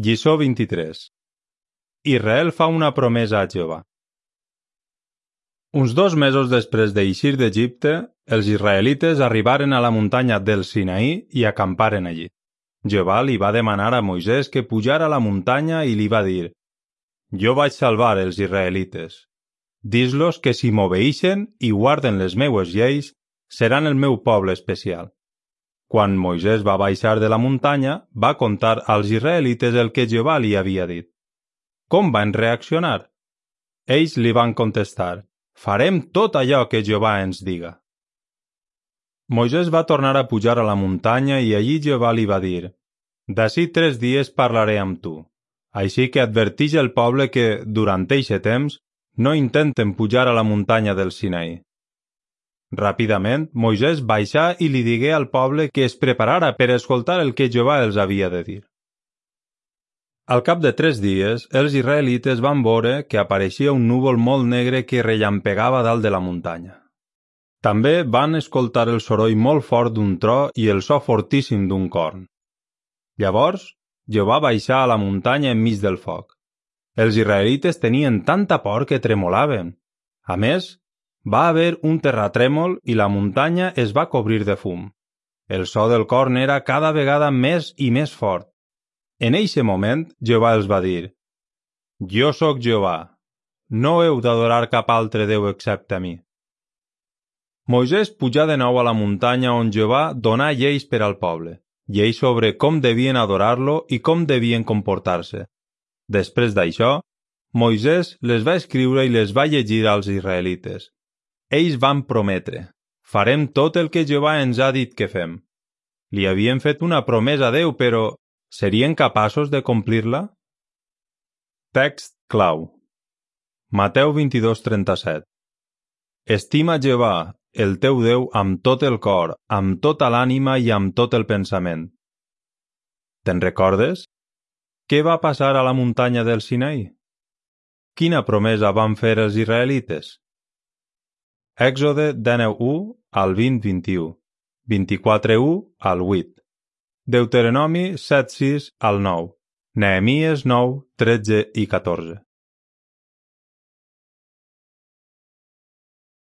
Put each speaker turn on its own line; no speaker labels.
Lliçó 23. Israel fa una promesa a Jehovà. Uns 2 mesos després d'eixir d'Egipte, els israelites arribaren a la muntanya del Sinaí i acamparen allí. Jehovà li va demanar a Moisès que pujara a la muntanya i li va dir: «Jo vaig salvar els israelites. Dis-los que si m'obeeixen i guarden les meues lleis, seran el meu poble especial». Quan Moisès va baixar de la muntanya, va contar als israelites el que Jehovà li havia dit. Com van reaccionar? Ells li van contestar: «Farem tot allò que Jehovà ens diga». Moisès va tornar a pujar a la muntanya i allí Jehovà li va dir: «D'ací 3 dies parlaré amb tu. Així que adverteix el poble que, durant eixe temps, no intenten pujar a la muntanya del Sinaí». Ràpidament, Moisès baixà i li digué al poble que es preparara per escoltar el que Jehovà els havia de dir. Al cap de 3 dies, els israelites van veure que apareixia un núvol molt negre que rellampegava dalt de la muntanya. També van escoltar el soroll molt fort d'un tro i el so fortíssim d'un corn. Llavors, Jehovà baixà a la muntanya enmig del foc. Els israelites tenien tanta por que tremolaven. A més, va haver un terratrèmol i la muntanya es va cobrir de fum. El so del corn era cada vegada més i més fort. En eixe moment, Jehovà els va dir: «Jo sóc Jehovà. No heu d'adorar cap altre Déu excepte a mi». Moisès pujà de nou a la muntanya on Jehovà donà lleis per al poble, lleis sobre com devien adorar-lo i com devien comportar-se. Després d'això, Moisès les va escriure i les va llegir als israelites. Ells van prometre: «Farem tot el que Jehovà ens ha dit que fem». Li havien fet una promesa a Déu, però serien capaços de complir-la? Text clau. Mateu 22:37. Estima Jehovà, el teu Déu, amb tot el cor, amb tota l'ànima i amb tot el pensament. Te'n recordes? Què va passar a la muntanya del Sinaí? Quina promesa van fer els israelites? Èxode 19:1 al 20:21, 24:1 al 8, Deuteronomi 7:6 al 9, Nehemies 9:13 i 14.